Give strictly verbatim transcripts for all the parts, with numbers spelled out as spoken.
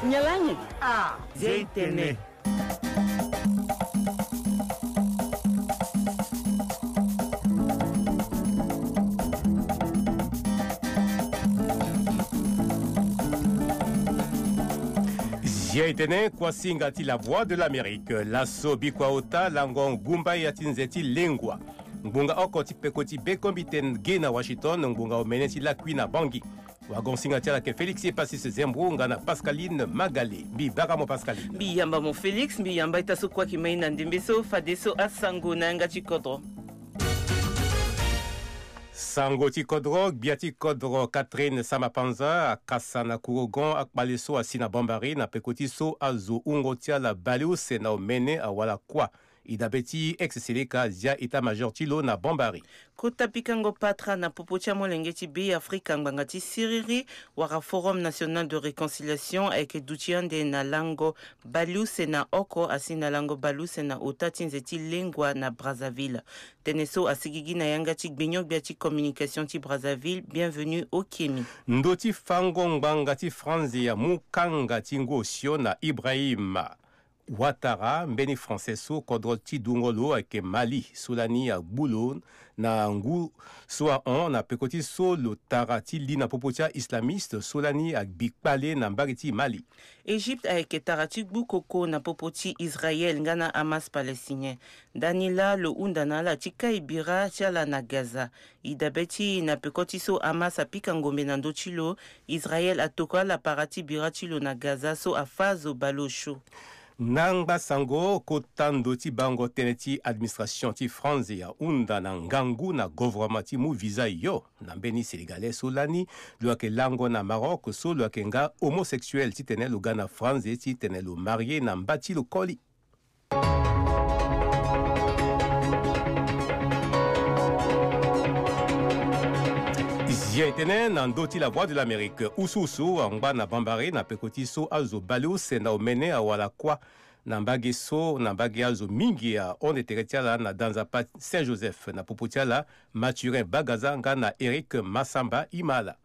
Nyalange. Ah, Zia itene. Zia itene, kuasinga ti La Voix de l'Amérique. Laso bikua ota lango ngumba ya ti nze ti lengua. Ngbonga oko ti peko ti bekombite ge na Washington, ngbonga omene ti lakui na Bangui. Wagonsinga ti ala ke Félix Epasis Zembro nga na Pascaline Magale. Mbi bara mo Pascaline. Mbi yamba mo Félix, mbi yamba ita so kue ayeke ma e na ndembe so, fadeso asango na yanga ti kodro. Sango ti kodro, gbia ti kodro Catherine Samba-Panza akasa na kurugon akpale so asi na Bambari na peko ti so azo wungo ti ala baleuse na omene awara kuâ. E dabe ti ex-seleka azia état-major ti lo na Bambari. Kota pikango patara na popo ti amolenge ti Beafrika ngbanga ti siriri wala Forum National de Réconciliation ayeke duti ande na lango baleuse na oko asi na lango baleuse na ota ti nze ti lengua na Brazzaville. Tënë so asigigi na yanga ti gbinio-gbia ti communication ti Brazzaville, Bienvenu Okemi. Ndö ti fango ngbanga ti Franzi amu kanga ti ngu osio na Ibrahima Ouattara, mbeni Français so kodro ti dungo lo ayeke Mali, so lani agbu lo na ngu so ahon na peko ti so lo tara ti li na popo ti a-islamiste so lani agbi kpale na mbage ti Mali. Égypte ayeke tara ti gbu koko na popo ti Israël nga na Hamas palestinien. Ndani laa lo hunda na ala ti kai bira ti ala na Gaza. E dabe ti e na peko ti so Hamas apika ngombe na ndö ti lo, Israël atoko ala para ti bira ti lo na Gaza so afâ azo baleosio. Na ngba sango, kota ndo ti bango tënë ti administration ti Franzi ahunda na ngangu na govoroma ti mu visa yo na mbeni Sénégalais so lani lo yeke lango na Maroc so lo yeke nga homosexuel titene lo ga na Franzi titene lo marie na mba ti lo koli. Zia e tene na ndö ti La Voix de l'Amérique, usuusu angba na Bambari na peko ti so azo baleuse na omene awara kuâ na mbage so, na mbage azo mingi ahon tere ti ala na danzapa Saint-Joseph na popo ti ala, Mathurin Bagaza nga na Eric Massamba Imala.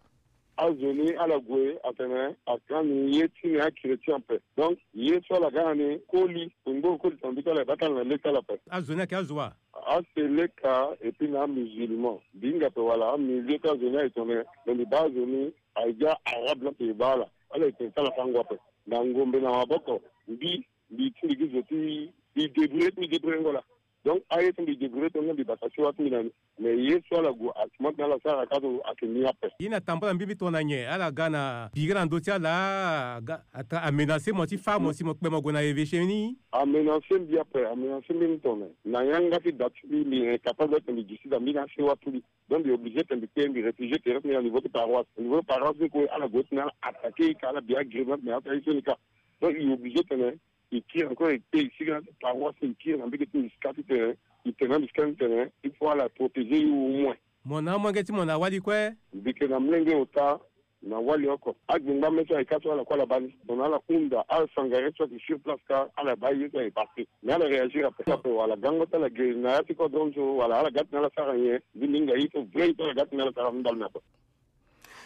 Azo ni ala gue atene akani ye ti ni achrétien ape. Donc ye so ala ga na ni koli, kungbo koli tongana mbi ti ala e baa ti ala na le ti ala ape. Azo ni ayeke azo wa? Aseleka et puis na amusulman. Mbi hinga ape wala amilieu ti azo ni aye tongana, me mbi baa azo ni aye ga arabe ni ape e baa ala. Ala ye tene ti ala fango ape. Na ngombe na maboko, mbi, mbi ti mbi gi zo ti mbi débrouiller ti mbi débrouiller ngo laa. Donc aye ti mbi débrouiller tongana mbi bata siwa ti mbi na ni. Mais ye so ala gue asima tena ala sara ka so ayeke ni ape. Ye ni atambula mbi mbi tongana nyen? Ala ga na bira na ndö ti ala, aga amenacer mo ti fâ mo si mo kpe mo gue na évêché ni? Amenacer mbi ape, amenacer mbi ni tongana na yanga ti da ti mbi, mbi incapable ti mbi duti da mbi na asiwa ti mbi. Donc mbi obligé ti mbi kpe, mbi réfugié tere ti mbi na niveau ti paroisse. Niveau ti paroisse ni kue ala gue ti na ala attaquer e ka, ala bi agrément na ala ti aye so ni ka. Donc e obligé tene e kiri encore e kpe e sigi na ti paroisse, e kiri na mbege ti mbi sika titene e tene na mbi sika titene il faut ala protéger e au moins. Mo na amolenge ti mo na wali kue? Mbi yeke na molenge ota na wali oko. Agbengba mê so ayeke ka so ala kue ala baa ni. Tongana ala hunda asangare so ayeke sur place ka ala baa ye so ayeke passé. Mais ala réagir ape. Ape wala gango ti ala ge na ya ti kodro so wala ala ga titene ala sara nyen? Mbi mbi hinga ye so vrai ye so ala ga titene ala sara na ndali ni ape.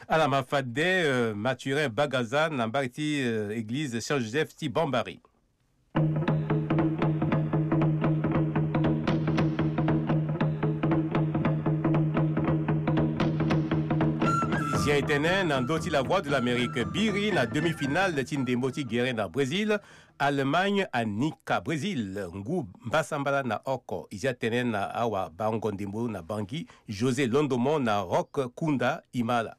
Ala ma fade, euh, Mathurin Bagaza na mbage ti, euh, église Saint Joseph ti Bambari. Zia e tene na ndö ti La Voix de l'Amérique, biri na demi-finale ti ndembo ti gere na Brésil. Allemagne anika Brésil ngu mbasambala na oko. E zia tënë na awabango ndembo na Bangui, José Londomo na Rock Kunda Imala.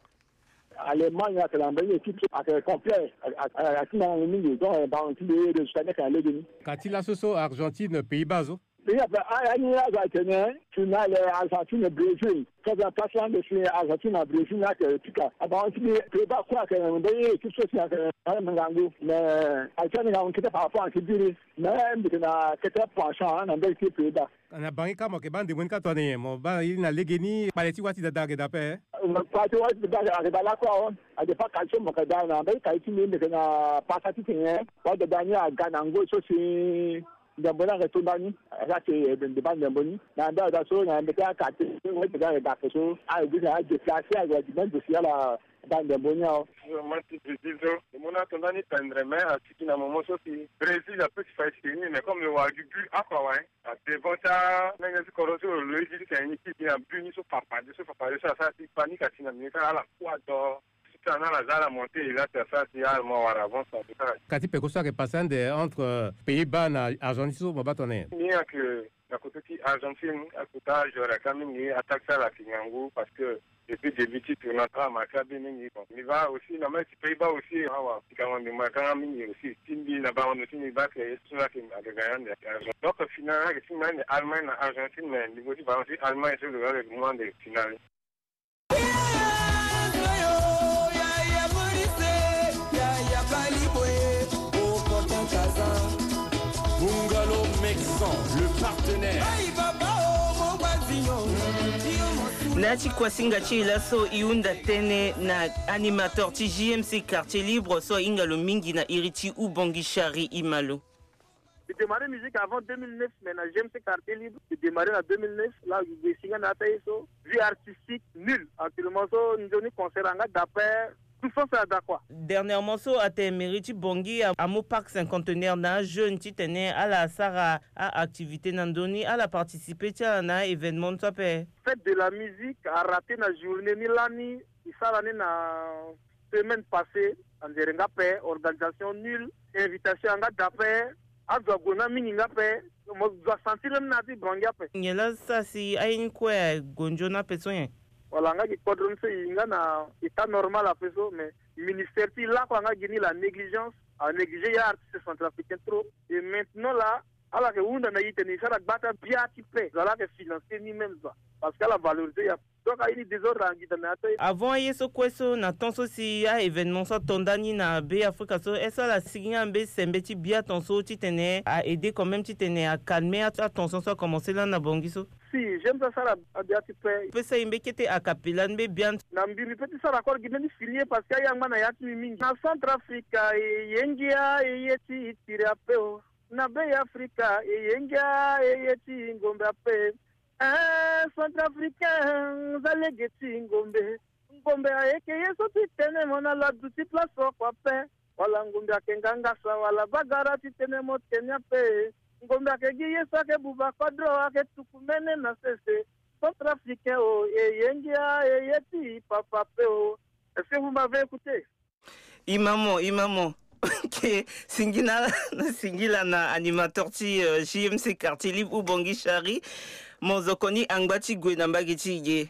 Allemagne ayeke na mbeni équipe so ayeke complet, ayeke na ngangu mingi, donc bango ti mbi résultat ni ayeke na legeni. Ka ti laso so Argentine, Pays-Bas so? Pays-Bas ape, a, a ni azo atene finale Argentine Brésil. Tongana place lande si Argentine na Brésil ni ayeke pika. Bango ti mbi Pays-Bas kue ayeke na mbeni équipe so si ayeke na ngangu, mais ayeke na ngangu kete par rapport na ti biri. Mais mbi yeke na kete penchant na mbeni ti Pays-Bas. Na bangi ka mo yeke baa ndembo ni ka tongana nyen? Mo baa ye ni na legeni, kpale ti wâ ti dada ayeke daa ape? Kpale ti wâ ti dada ayeke daa lakue awe. Adépend kali so mo yeke daa na mbeni kali ti mbi, mbi yeke na pasa titene wâ dada ni aga na ngoi so si ndembo ni ayeke to ndani. Ala yeke baa ndembo ni na mbeni azo so na mbeti akate, wâ ti dada ayeke daa ape so ayeke gi na adéplacer, ayeke même dossier ala Bande boni awe. Mo ti Brésil so, mo na tonda ni pendre, mais asiki na momo so si Brésil ape ti fa esiki ni, mais comme lo wara gi but oko awe, hein. A devant ti amenge ti kodro so lo loyi gi ti tene ni ti gi na but ni so papade so papade so asara si panique asi na milieu ti ala ala kua do. Ti tene na ala za ala monté, il a ti asara si ala mo wara avance na but ti ala. Ka ti peko so ayeke passé ande entre, euh, Pays-Bas na Argentine so mo baa tongana nyen? Ni ayeke na koto ti Argentine, akota joueur ayeke mingi, attaque ti ala ayeke ngangu parce que depuis début ti tournoi ala marqué abe mingi. Bon, mbi baa aussi na match ti Pays-Bas aussi, awa pikango ndembo ayeke nga mingi aussi. Ti mbi na bango ndo ti mbi baa ke ye so ayeke, ayeke gagné ande ayeke Argentine. Donc final ayeke ti mbi ande Allemagne na Argentine, mais niveau ti ballon ti Allemagne so lo ga lo yeke mu ande final. Bungalow Mexan, le partenaire. Na ya ti kuasinga ti e laso, e hunda tënë na animateur ti J M C Quartier Libre so ahinga lo mingi na iri ti Oubangui Chari, e ma lo. Mbi démarré musique avant deux mille neuf, mais na J M C Quartier Libre mbi démarré na deux mille neuf. Là mbi gue si nga na ya ti aye so, vie artistique nulle. Actuellement so nzoni concert anga daa ape, tout sens ada quoi. Dernièrement so atene mairie ti Bangui a, amu parc cinquantenaire na ajeune titene ala sara a-activité na ndö ni, ala participer ti ala na a-événement so ape. Fête de la musique araté na journée ni lani. E sara ni na semaine passée, anzere nga ape, organisation nulle, invitation anga daa ape, azo ague na mingi nga ape, mo zo asentir même na ya ti Bangui ape. Nyen la sara si aye ni kue ague nzoni ape so nyen? Voilà, nga gi kodro ni so e nga na état normal ape so, mais ministère ti lakue anga gi ni la négligence, a négligé ya artiste centrafricain trop. Et maintenant là, ala yeke hunda na e tene e sara gbata bia ti paix, zo ala yeke financer ni même zo, parce que ala valorisé ya. Donc aye ni désordre angita na ya ti aye. Avant aye so kue so, na temps so si a-événement so ato nda ni na Be Afrika so, est-ce que ala sigi nga na mbeni sembe ti bia temps so titene a-aider quand même titene acalmer a-, atension so akomanse lani na Bangui so? Si, j'aime ça sara abia ti paix. Pesa e mbeni kete a cappella ni mbeni bia. Na mbi mbi pe ti sara accord gi mbeni fini ye parce que aye angba na ya ti mbi mingi. Na Centrafrica e ye ngia e ye ti tiri ape o. Na Be Afrika e ye ngia e ye ti ngombe ape. Eh, Centrafricain, za lege ti ngombe. Ngombe ayeke ye so ti tene mo na la duti place oko ape. Wala ngombe ayeke ngangasa wala bagara ti tene mo tene ape. Ngombe ayeke gi ye so ayeke buba kodro ayeke tuku mene na sese. Centrafricain o, e ye ngia e ye ti papa ape o. Est-ce que vous m'avez écouté? Imamo, imamo. Ok, singila, singila na animateur ti, euh, J M C Quartier Libre Oubangui Chari. Mo zo koni angba ti gue na mbage ti e ge.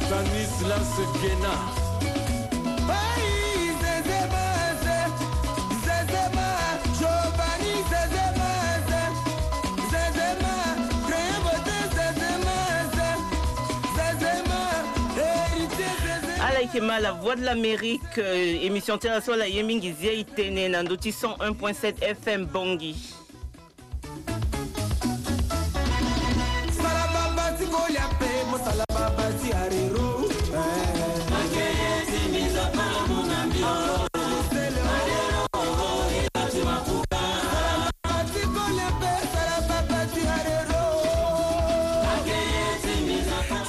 Stanislas Guéna. Ala yeke ma, La Voix de l'Amérique, euh, émission ti ala so ala ye mingi zia e tene na ndö ti cent un point sept F M Bangui.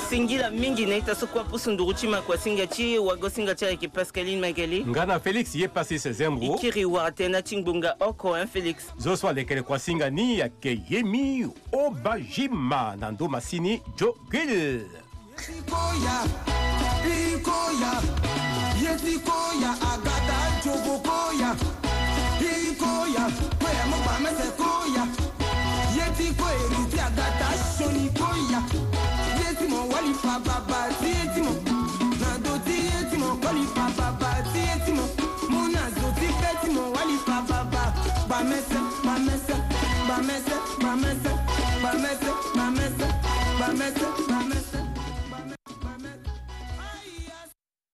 Singila mingi na ita so kue apusu nduru ti makuasinga ti e, wagosinga ti ala yeke Pascaline Magali. Nga na Félix ye pasi sezembro. E kiri wara tënë na ti ngbonga oko, hein, Félix. Zo so alekere kuasinga ni ayeke Yemi Obajima na ndo masini Jogil. Yeti koya, i koya, yeti koya, agata jogo koya, i koya, koya mo gba mese koya, yeti ko eriti agata soni koya, yeti mo wali fa baba ti yeti mo, na do ti yeti mo koli fa baba ti yeti mo, mo na zo ti pe ti mo wali fa baba, gba mese, gba mese, gba mese, gba mese, gba mese.